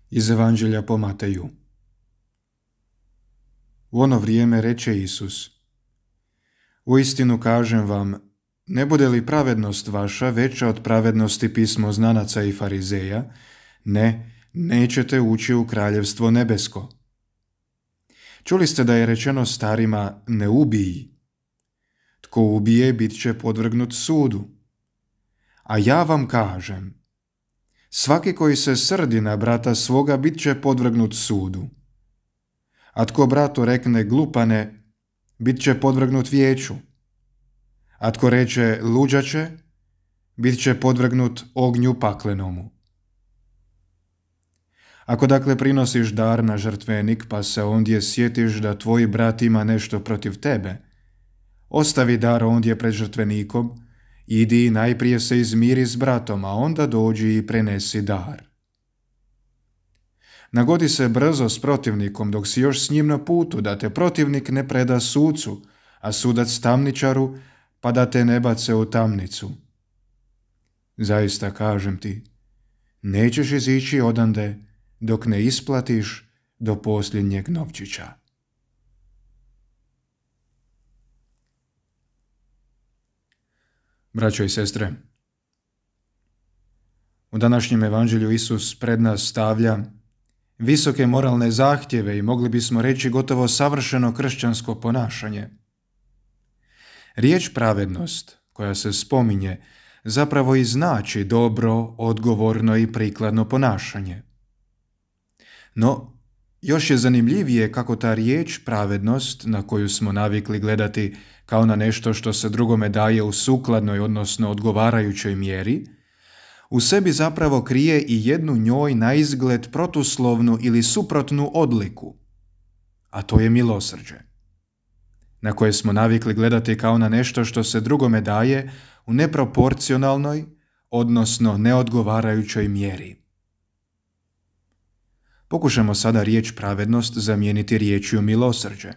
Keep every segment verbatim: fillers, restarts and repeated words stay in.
Iz Evanđelja po Mateju. U ono vrijeme reče Isus: Uistinu kažem vam, ne bude li pravednost vaša veća od pravednosti pismoznanaca i farizeja, ne, nećete ući u kraljevstvo nebesko. Čuli ste da je rečeno starima, ne ubij. Tko ubije, bit će podvrgnut sudu. A ja vam kažem, svaki koji se srdi na brata svoga, bit će podvrgnut sudu. A tko bratu rekne glupane, bit će podvrgnut vijeću. A tko reče luđače, bit će podvrgnut ognju paklenomu. Ako dakle prinosiš dar na žrtvenik, pa se ondje sjetiš da tvoj brat ima nešto protiv tebe, ostavi dar ondje pred žrtvenikom, idi najprije se izmiri s bratom, a onda dođi i prenesi dar. Nagodi se brzo s protivnikom dok si još s njim na putu, da te protivnik ne preda sucu, a sudac tamničaru, pa da te ne bace u tamnicu. Zaista kažem ti, nećeš izići odande dok ne isplatiš do posljednjeg novčića. Braćo i sestre, u današnjem evanđelju Isus pred nas stavlja visoke moralne zahtjeve i mogli bismo reći gotovo savršeno kršćansko ponašanje. Riječ pravednost koja se spominje zapravo i znači dobro, odgovorno i prikladno ponašanje. No, još je zanimljivije kako ta riječ pravednost, na koju smo navikli gledati kao na nešto što se drugome daje u sukladnoj, odnosno odgovarajućoj mjeri, u sebi zapravo krije i jednu njoj naizgled protuslovnu ili suprotnu odliku, a to je milosrđe, na koje smo navikli gledati kao na nešto što se drugome daje u neproporcionalnoj, odnosno neodgovarajućoj mjeri. Pokušamo sada riječ pravednost zamijeniti riječju milosrđe.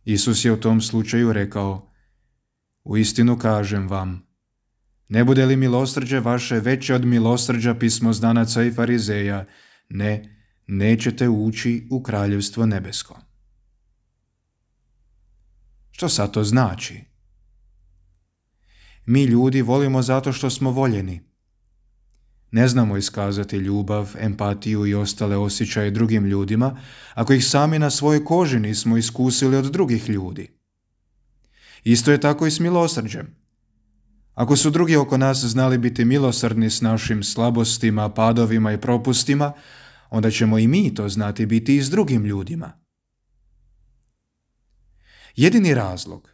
Isus je u tom slučaju rekao: Uistinu kažem vam, ne bude li milosrđe vaše veće od milosrđa pismoznanaca i farizeja, ne, nećete ući u kraljevstvo nebesko. Što sad to znači? Mi ljudi volimo zato što smo voljeni. Ne znamo iskazati ljubav, empatiju i ostale osjećaje drugim ljudima ako ih sami na svojoj koži nismo iskusili od drugih ljudi. Isto je tako i s milosrđem. Ako su drugi oko nas znali biti milosrdni s našim slabostima, padovima i propustima, onda ćemo i mi to znati biti i s drugim ljudima. Jedini razlog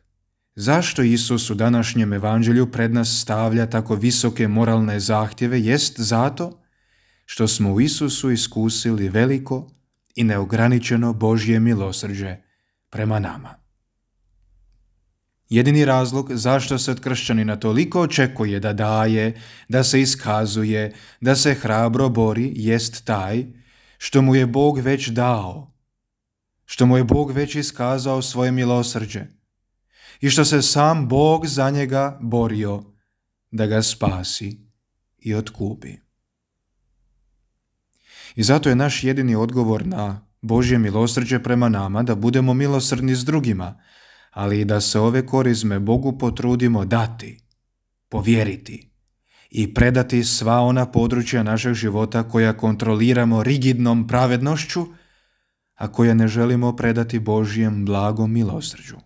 zašto Isus u današnjem evanđelju pred nas stavlja tako visoke moralne zahtjeve jest zato što smo u Isusu iskusili veliko i neograničeno Božje milosrđe prema nama. Jedini razlog zašto se od kršćanina toliko očekuje da daje, da se iskazuje, da se hrabro bori jest taj što mu je Bog već dao, što mu je Bog već iskazao svoje milosrđe i što se sam Bog za njega borio da ga spasi i otkupi. I zato je naš jedini odgovor na Božje milosrđe prema nama da budemo milosrdni s drugima, ali i da se ove korizme Bogu potrudimo dati, povjeriti i predati sva ona područja našeg života koja kontroliramo rigidnom pravednošću, a koja ne želimo predati Božjem blagom milosrđu.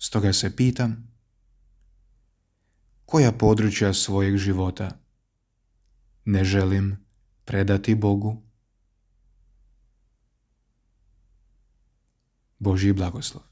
Stoga se pitam, koja područja svojeg života ne želim predati Bogu? Božji blagoslov.